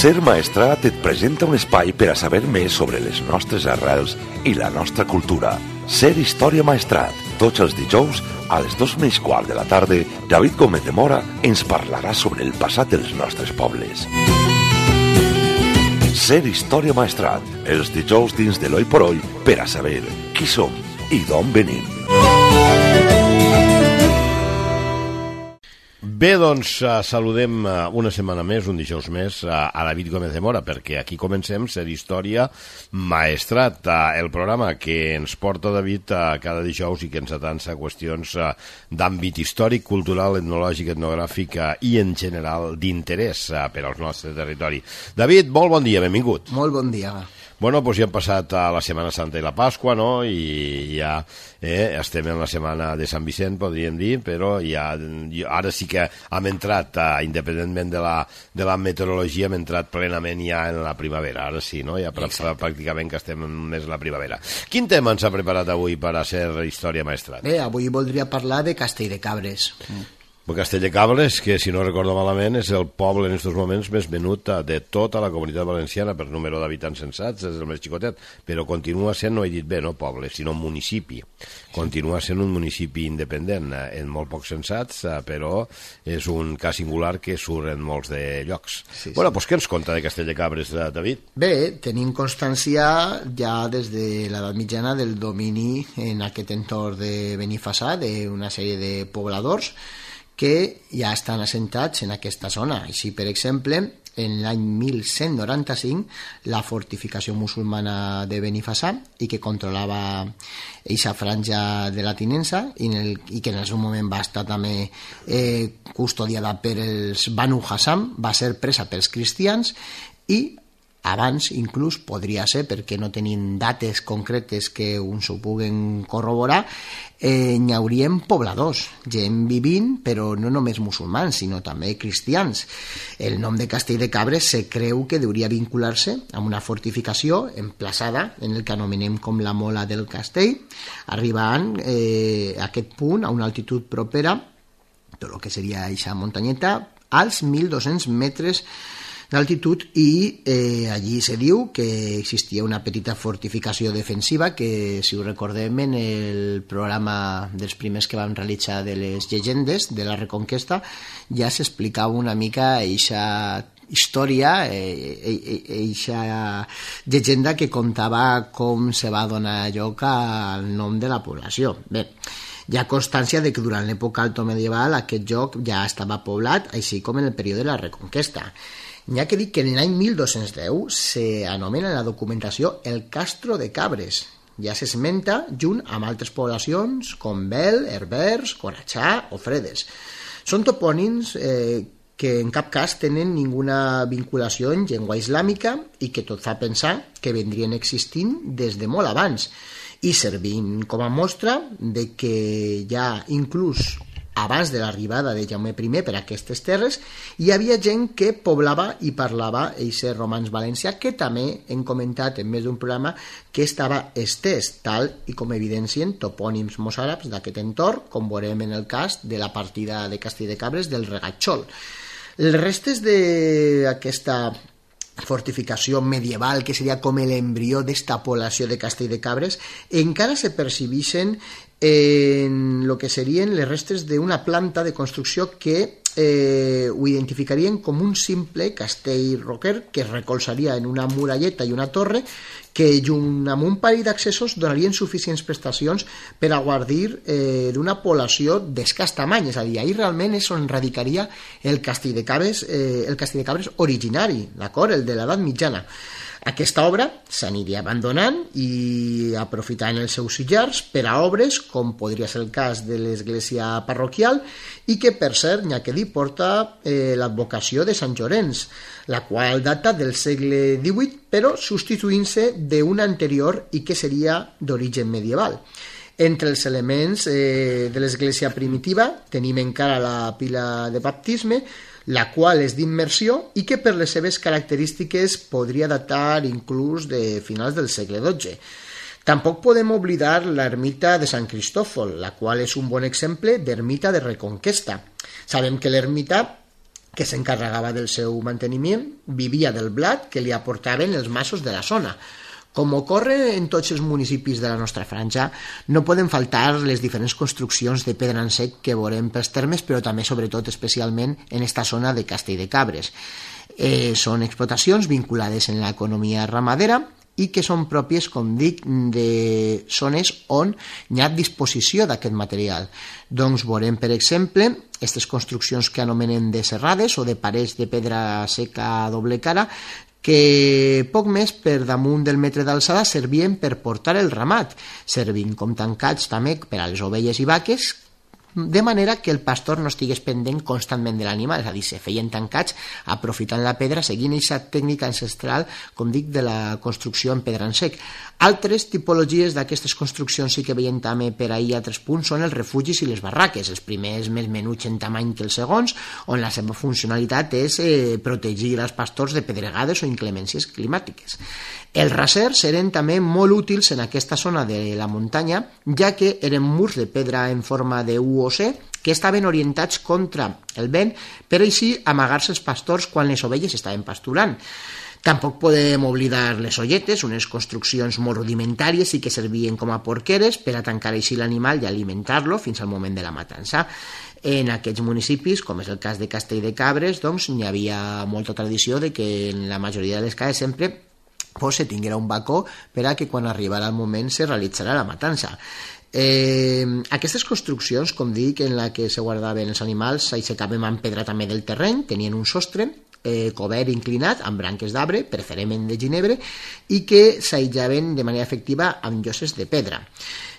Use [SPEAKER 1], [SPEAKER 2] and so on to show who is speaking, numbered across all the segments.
[SPEAKER 1] Ser Maestrat et presenta un espai per a saber més sobre les nostres arrels i la nostra cultura. Ser Història Maestrat. Tots els dijous, a les 2:15 de la tarda, David Gómez de Mora ens parlarà sobre el passat dels nostres pobles. Ser Història Maestrat. Els dijous dins de l'Oi por Oi per a saber qui som i d'on venim.
[SPEAKER 2] Bé, doncs saludem una setmana més, un dijous més, a David Gómez de Mora, perquè aquí comencem Ser Història Maestrat, el programa que ens porta David cada dijous i que ens atança qüestions d'àmbit històric, cultural, etnològic, etnogràfic i en general d'interès per al nostre territori. David, molt bon dia, benvingut.
[SPEAKER 3] Molt bon dia.
[SPEAKER 2] Bueno, doncs ja hem passat la Setmana Santa i la Pasqua, no? I ja estem en la setmana de Sant Vicent, podríem dir, però ja ara sí que hem entrat, independentment de la meteorologia, hem entrat plenament ja en la primavera. Ara sí, no? Ja pràcticament que estem més en la primavera. Quin tema ens ha preparat avui per a Ser Història Maestrat?
[SPEAKER 3] Bé, avui voldria parlar de Castelldecabres.
[SPEAKER 2] Castelldecabres, que si no recordo malament és el poble en aquests moments més venut de tota la Comunitat Valenciana per número d'habitants censats, és el més xicotet, però continua sent, no he dit bé, no poble, sinó municipi. Continua sent un municipi independent, en molt pocs censats, però és un cas singular que surt en molts de llocs. Sí. Bueno, doncs què ens conta de Castelldecabres, David?
[SPEAKER 3] Bé, tenim constància ja des de l'edat mitjana del domini en aquest entorn de Benifassà, d'una sèrie de pobladors que ja estan assentats en aquesta zona. Així, per exemple, en l'any 1195, la fortificació musulmana de Benifassà, i que controlava eixa franja de la tinença, i que en el seu moment va estar també custodiada per els Banu Hassam, va ser presa pels cristians, i abans inclús podria ser, perquè no tenim dates concretes que uns ho puguen corroborar, n'hi haurien pobladors, gent vivint, però no només musulmans, sinó també cristians. El nom de Castelldecabres se creu que hauria vincular-se amb una fortificació emplaçada en el que anomenem com la Mola del Castell, arribant a aquest punt a una altitud propera, tot el que seria aquesta muntanyeta, als 1.200 metres d'altitud, i allí se diu que existia una petita fortificació defensiva que, si ho recordem, en el programa dels primers que vam realitzar de les llegendes de la Reconquesta ja s'explicava una mica eixa història, eixa llegenda que contava com se va donar lloc al nom de la població. Bé, hi ha constància de que durant l'època altomedieval aquest lloc ja estava poblat, així com en el període de la Reconquesta. N'hi ha que dir que en l'any 1210 s'anomena en la documentació el Castro de Cabres. Ja s'esmenta junt amb altres poblacions com Bel, Herbers, Coratxà o Fredes. Són topònims que en cap cas tenen ninguna vinculació en llengua islàmica i que tot fa pensar que vendrien existint des de molt abans, i servint com a mostra de que ja inclús abans de l'arribada de Jaume I per aquestes terres, hi havia gent que poblava i parlava eixe romanç valencià, que també hem comentat en més d'un programa que estava estès, tal i com evidencien topònims mossàrabs d'aquest entorn, com veurem en el cas de la partida de Castelldecabres del Regatxol. Les restes d'aquesta fortificació medieval, que seria com l'embrió d'esta població de Castelldecabres, encara se percibeixen en el que serien les restes d'una planta de construcció que ho identificarien com un simple castell roquer que es recolzaria en una muralleta i una torre que, junt amb un parell d'accessos, donarien suficients prestacions per a guardir d'una població d'escàs tamany. És a dir, ahir realment és on radicaria el Castelldecabres originari, d'acord? El de l'edat mitjana. Aquesta obra s'aniria abandonant i aprofitant els seus sillars per a obres com podria ser el cas de l'església parroquial, i que, per cert, n'hi ha que dir, porta l'advocació de Sant Llorenç, la qual data del segle XVIII, però substituint-se d'una anterior i que seria d'origen medieval. Entre els elements de l'església primitiva tenim encara la pila de baptisme, la qual és d'immersió i que per les seves característiques podria datar inclús de finals del segle XII. Tampoc podem oblidar l'ermita de Sant Cristòfol, la qual és un bon exemple d'ermita de Reconquesta. Sabem que l'ermita que s'encarregava del seu manteniment, vivia del blat que li aportaven els masos de la zona. Com ocorre en tots els municipis de la nostra franja, no poden faltar les diferents construccions de pedra en sec que veurem pels termes, però també, sobretot, especialment en esta zona de Castelldecabres. Són explotacions vinculades en l'economia ramadera i que són pròpies, com dic, de zones on hi ha disposició d'aquest material. Doncs veurem, per exemple, aquestes construccions que anomenen de serrades o de parets de pedra seca a doble cara, que poc més per damunt del metre d'alçada servien per portar el ramat, servint com tancats també per a les ovelles i vaques, de manera que el pastor no estigués pendent constantment de l'animal, és a dir, se feien tancats aprofitant la pedra, seguint aquesta tècnica ancestral, com dic, de la construcció en pedra en sec. Altres tipologies d'aquestes construccions sí que veiem també per ahir a altres punts són els refugis i les barraques, els primers més menuts en tamany que els segons, on la seva funcionalitat és protegir els pastors de pedregades o inclemències climàtiques. Els rasers eren també molt útils en aquesta zona de la muntanya, ja que eren murs de pedra en forma de U o C que estaven orientats contra el vent per així amagar-se els pastors quan les ovelles estaven pasturant. Tampoc podem oblidar les olletes, unes construccions molt rudimentàries i que servien com a porqueres per a tancar així l'animal i alimentar-lo fins al moment de la matança. En aquests municipis, com és el cas de Castelldecabres, doncs hi havia molta tradició de que en la majoria de les cases sempre se tinguera un bacó per a que quan arribara el moment se realitzarà la matança. Aquestes construccions, com dic, en la que se guardaven els animals, s'aixecaven amb pedra també del terreny, tenien un sostre cobert inclinat amb branques d'arbre, preferentment de ginebre, i que s'aïllaven de manera efectiva amb lloses de pedra.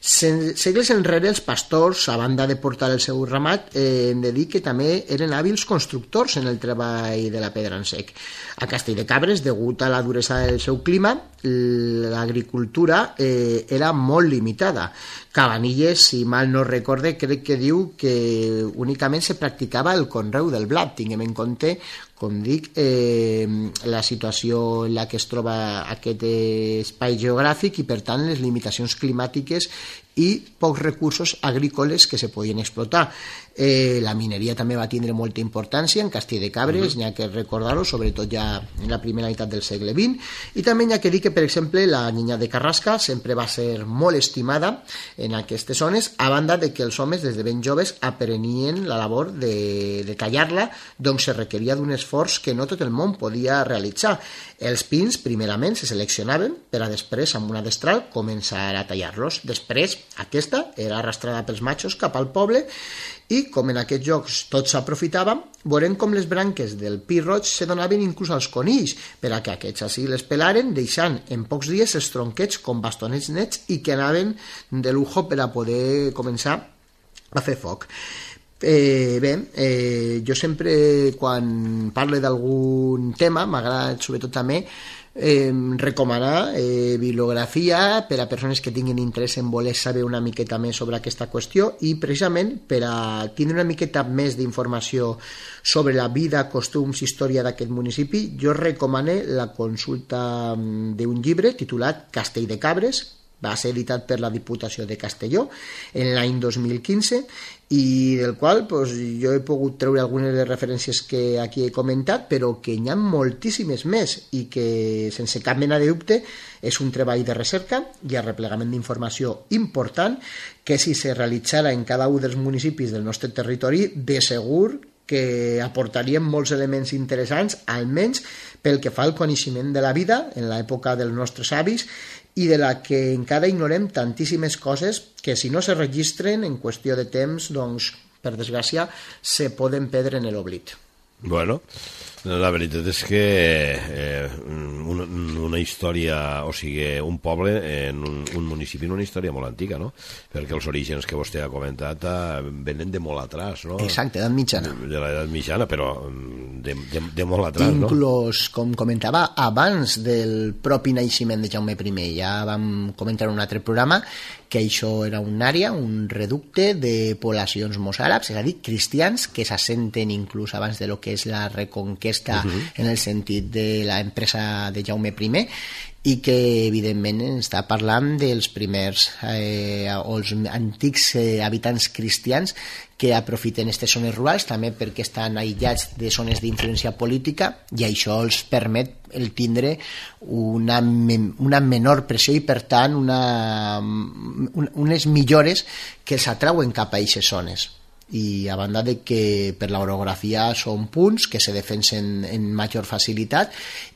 [SPEAKER 3] Segles enrere, els pastors, a banda de portar el seu ramat, hem de dir que també eren hàbils constructors en el treball de la pedra en sec. A Castelldecabres, degut a la duresa del seu clima, l'agricultura era molt limitada. Cabanilles, si mal no recorde, crec que diu que únicament se practicava el conreu del blat. Tinguem en compte, com dic, la situació en la que es troba aquest espai geogràfic i, per tant, les limitacions climàtiques i pocs recursos agrícoles que se podien explotar. La mineria també va tindre molta importància en Castelldecabres, n'hi ha que recordar-ho, sobretot ja en la primera meitat del segle XX, i també n'hi ha que dir que, per exemple, la niña de Carrasca sempre va ser molt estimada en aquestes zones, a banda de que els homes des de ben joves aprenien la labor de tallar-la, doncs se requeria d'un esforç que no tot el món podia realitzar. Els pins, primerament, se seleccionaven per a després, amb una destral, començar a tallar-los. Després, aquesta era arrastrada pels matxos cap al poble i, com en aquests jocs tot s'aprofitava, veurem com les branques del pi roig se donaven inclús als conills, per a que aquests així les pelaren, deixant en pocs dies els tronquets com bastonets nets i que anaven de lujo per a poder començar a fer foc. Jo sempre, quan parlo d'algun tema, m'agrada sobretot també recomanar bibliografia per a persones que tinguin interès en voler saber una miqueta més sobre aquesta qüestió i precisament per a tindre una miqueta més d'informació sobre la vida, costums, història d'aquest municipi, jo recomano la consulta d'un llibre titulat Castelldecabres, va ser editat per la Diputació de Castelló en l'any 2015 i del qual jo he pogut treure algunes de les referències que aquí he comentat, però que n'hi ha moltíssimes més i que sense cap mena de dubte és un treball de recerca i arreplegament d'informació important que si se realitzara en cada un dels municipis del nostre territori de segur que aportarien molts elements interessants, almenys pel que fa al coneixement de la vida en l'època dels nostres avis i de la que encara ignorem tantíssimes coses que si no se registren en qüestió de temps, doncs, per desgràcia, se poden perdre en l'oblit.
[SPEAKER 2] Bueno, la veritat és que una història, o sigui, un poble en un municipi, una història molt antiga, no? Perquè els orígens que vostè ha comentat venen de molt atrás, no?
[SPEAKER 3] Exacte, edat mitjana.
[SPEAKER 2] De l'edat mitjana, però de molt atrás, no?
[SPEAKER 3] Inclús, com comentava, abans del propi naixement de Jaume I, ja vam comentar en un altre programa que això era una àrea, un reducte de poblacions mozàrabs, és a dir, cristians que s'assenten inclús abans de lo que és la reconquesta en el sentit de l'empresa de Jaume I, i que evidentment està parlant dels primers o els antics habitants cristians que aprofiten aquestes zones rurals també perquè estan aïllats de zones d'influència política i això els permet el tindre una menor pressió i per tant unes millores que els atrauen cap a aquestes zones. I a banda de que per l'orografia són punts que se defensen en major facilitat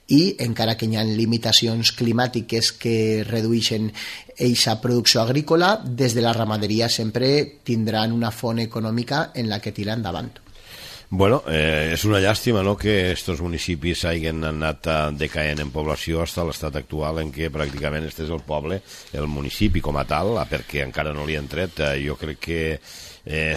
[SPEAKER 3] i encara que hi ha limitacions climàtiques que redueixen aquesta producció agrícola, des de la ramaderia sempre tindran una font econòmica en la que tirar endavant.
[SPEAKER 2] Bueno, és una llàstima, no?, que estos municipis hagin anat decaent en població fins a l'estat actual en què pràcticament este és el poble, el municipi com a tal, perquè encara no li han tret. Jo crec que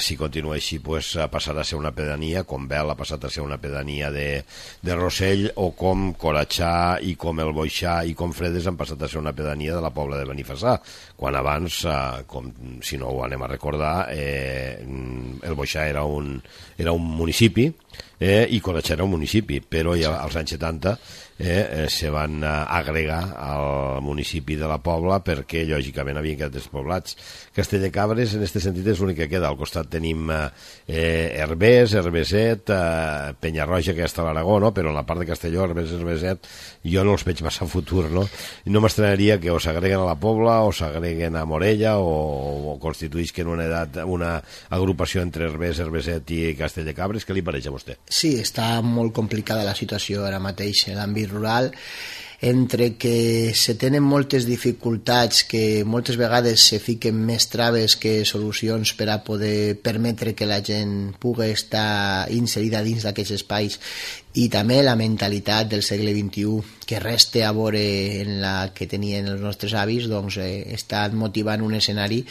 [SPEAKER 2] si continua així pues, passarà a ser una pedania, com Bel ha passat a ser una pedania de Rossell, o com Coratxà i com el Boixà i com Fredes han passat a ser una pedania de la Pobla de Benifassà, quan abans, com, si no ho anem a recordar, el Boixà era un municipi i Coratxà era un municipi, però ja als anys 70 se van agregar al municipi de la Pobla perquè lògicament havien quedat despoblats. Castelldecabres en aquest sentit és l'únic que queda. Al costat tenim Herbers, Herbeset, Penyarroja, que està a l'Aragó, no? Però en la part de Castelló, Herbers, Herbeset, jo no els veig massa futur, no? I no m'estranaria que o s'agreguen a la Pobla o s'agreguen a Morella o constituïsquen una agrupació entre Herbers, Herbeset i Castelldecabres. Què li pareix a vostè?
[SPEAKER 3] Sí, està molt complicada la situació ara mateix en l'àmbit rural, entre que se tenen moltes dificultats, que moltes vegades se fiquen més traves que solucions per a poder permetre que la gent pugui estar inserida dins d'aquests espais, i també la mentalitat del segle XXI que resta a veure en la que tenien els nostres avis, doncs està motivant un escenari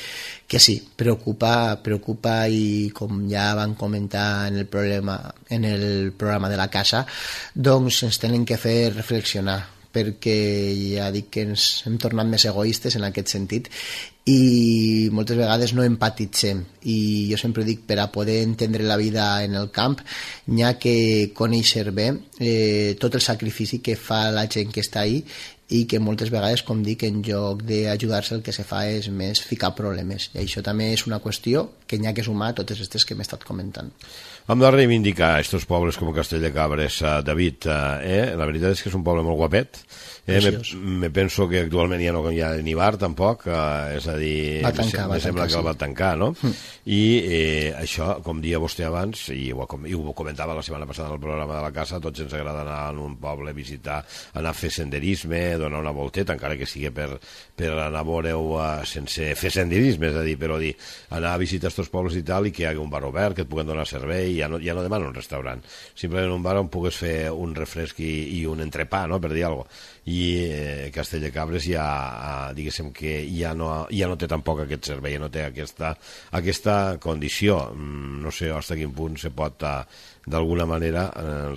[SPEAKER 3] que sí, preocupa i com ja van comentar en el programa de la casa, doncs ens tenen que fer reflexionar, perquè ja dic que ens hem tornat més egoistes en aquest sentit i moltes vegades no empatitzem, i jo sempre dic, per a poder entendre la vida en el camp n'hi ha que conèixer bé tot el sacrifici que fa la gent que està ahí, i que moltes vegades, com dic, en lloc d'ajudar-se el que se fa és més ficar problemes, i això també és una qüestió que n'hi ha que sumar a totes aquestes que m'he estat comentant.
[SPEAKER 2] Hem de reivindicar aquests pobles com Castelldecabres, David. La veritat és que és un poble molt guapet. Me penso que actualment ja no hi ha ni bar tampoc, és a dir, me sembla que el va tancar, no? I això, com dia vostè abans, i ho comentava la setmana passada en el programa de la casa, tots ens agrada anar a un poble, visitar, anar a fer senderisme, donar una volteta, encara que sigui per anar a veure-ho sense fer senderisme, és a dir, però anar a visitar aquests pobles i tal, i que hi hagi un bar obert, que et puguen donar servei, ja no demano un restaurant, simplement un bar on pugues fer un refresc i un entrepà, no?, per dir alguna cosa. I Castelldecabres ja, diguéssim que ja no té tampoc aquest servei, no té aquesta condició. No sé fins a quin punt se pot d'alguna manera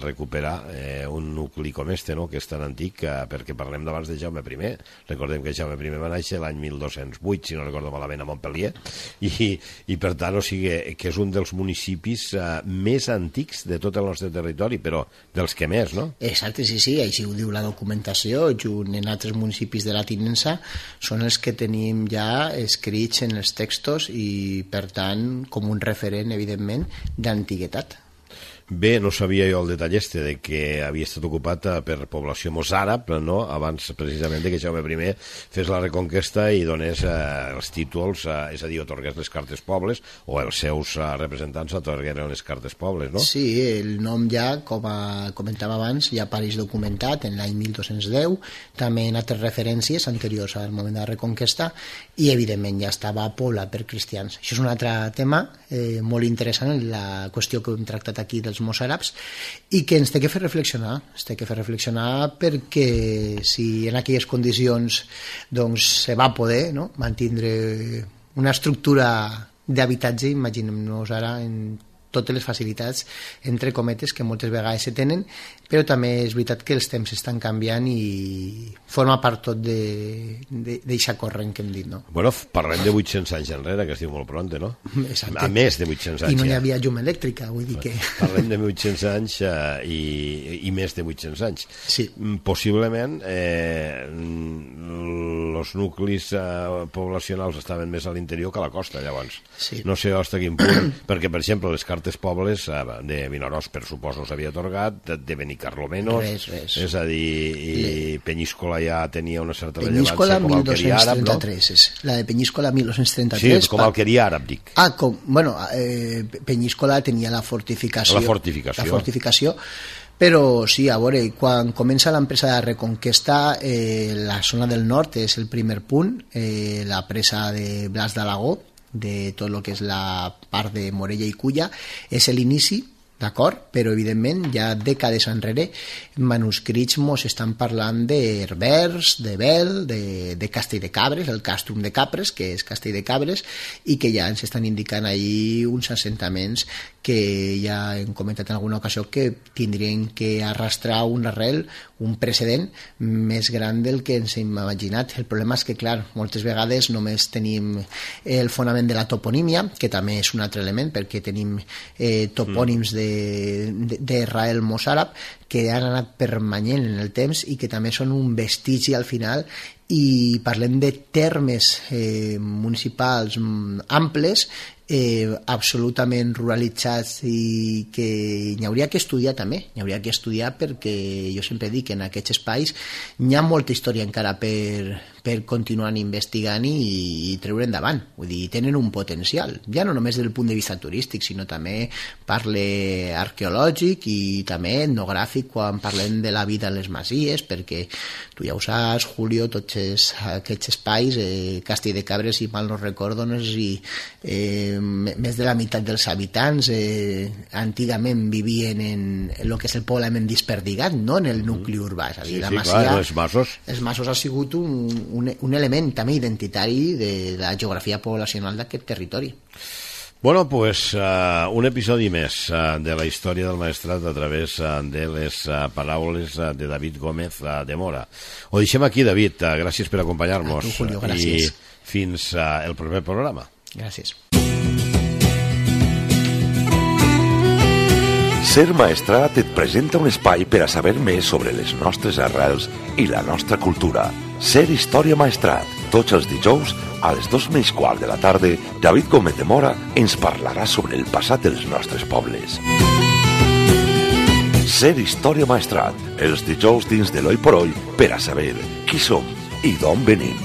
[SPEAKER 2] recuperar un nucli com este, no?, que és tan antic, perquè parlem d'abans de Jaume I. Recordem que Jaume I va néixer l'any 1208, si no recordo malament, a Montpellier, i per tant, o sigui, que és un dels municipis més antics de tot el nostre territori, però dels que més, no?
[SPEAKER 3] Exacte, sí, així ho diu la documentació, junt en altres municipis de la tinença, són els que tenim ja escrits en els textos i, per tant, com un referent, evidentment, d'antiguitat.
[SPEAKER 2] Bé, no sabia jo el detall de que havia estat ocupat per població mossàrab, no?, abans precisament que Jaume I fes la reconquesta i donés els títols, és a dir, otorgués les cartes pobles, o els seus representants otorgueren les cartes pobles, no?
[SPEAKER 3] Sí, el nom ja, com comentava abans, ja apareix documentat en l'any 1210, també en altres referències anteriors al moment de la reconquesta, i evidentment ja estava poblat per cristians. Això és un altre tema molt interessant, la qüestió que hem tractat aquí dels mossàrabs, i que ens té que fer reflexionar, perquè si en aquelles condicions doncs se va poder, no?, mantindre una estructura d'habitatge, imaginem-nos ara en totes les facilitats, entre cometes, que moltes vegades se tenen, però també és veritat que els temps estan canviant i forma part tot d'eixa corrent que hem dit, no?
[SPEAKER 2] Bueno, parlem de 800 anys enrere, que es diu molt pront, no?
[SPEAKER 3] Exacte.
[SPEAKER 2] A més de 800 anys.
[SPEAKER 3] I no hi havia llum elèctrica, vull dir que...
[SPEAKER 2] Parlem de 800 anys i més de 800 anys.
[SPEAKER 3] Sí.
[SPEAKER 2] Possiblement els nuclis poblacionals estaven més a l'interior que a la costa, llavors.
[SPEAKER 3] Sí.
[SPEAKER 2] No sé hasta quin punt, perquè, per exemple, les cartes pobles de Vinaròs, per suposo, s'havia atorgat, de Benicarló menys,
[SPEAKER 3] res.
[SPEAKER 2] És a dir, i Penyíscola ja tenia una certa
[SPEAKER 3] Penyíscola
[SPEAKER 2] rellevància com a alqueria àrab, no?
[SPEAKER 3] 1233, la de Penyíscola 1233.
[SPEAKER 2] Sí, com a alqueria àrab, dic.
[SPEAKER 3] Penyíscola tenia la fortificació.
[SPEAKER 2] La fortificació.
[SPEAKER 3] Però sí, a veure, quan comença l'empresa de Reconquesta, la zona del nord és el primer punt, la presa de Blas d'Alagó, de tot el que és la part de Morella i Culla, és l'inici, d'acord? Però, evidentment, ja dècades enrere, manuscrits mos estan parlant d'Herbers, de Bel, de Castell de Cabres, el Castrum de Capres, que és Castell de Cabres, i que ja ens estan indicant ahir uns assentaments que ja hem comentat en alguna ocasió que tindrien que arrastrar un arrel, un precedent més gran del que ens hem imaginat. El problema és que, clar, moltes vegades només tenim el fonament de la toponímia, que també és un altre element, perquè tenim topònims d'Israel mossàrab que han anat permanent en el temps i que també són un vestigi al final, i parlem de termes municipals amples, absolutament ruralitzats, i que hi hauria que estudiar també, perquè jo sempre dic que en aquests espais hi ha molta història encara per continuar investigant i treure endavant. Vull dir, tenen un potencial, ja no només des del punt de vista turístic, sinó també parle arqueològic i també etnogràfic quan parlem de la vida a les masies, perquè tu ja ho saps, Julio, tots aquests espais, Castell de Cabres, si mal no recordo, no sé si més de la meitat dels habitants antigament vivien en el que és el poblament desperdigat, no en el nucli urbà, és a dir, la masia,
[SPEAKER 2] clar, els
[SPEAKER 3] masos ha sigut un element també identitari de la geografia poblacional d'aquest territori.
[SPEAKER 2] Bueno, pues un episodi més de la història del Maestrat a través de les paraules de David Gómez de Mora. Ho deixem aquí, David. Gràcies per acompanyar-nos.
[SPEAKER 3] A tu, Julio, gràcies.
[SPEAKER 2] I fins el proper programa.
[SPEAKER 3] Gràcies.
[SPEAKER 1] Ser Maestrat et presenta un espai per a saber més sobre les nostres arrels i la nostra cultura. Ser Història Maestrat. Tots els dijous, a les 2:15 de la tarda, David Gómez de Mora ens parlarà sobre el passat dels nostres pobles. Ser Història Maestrat. Els dijous dins de l'Oi por Oi per a saber qui som i d'on venim.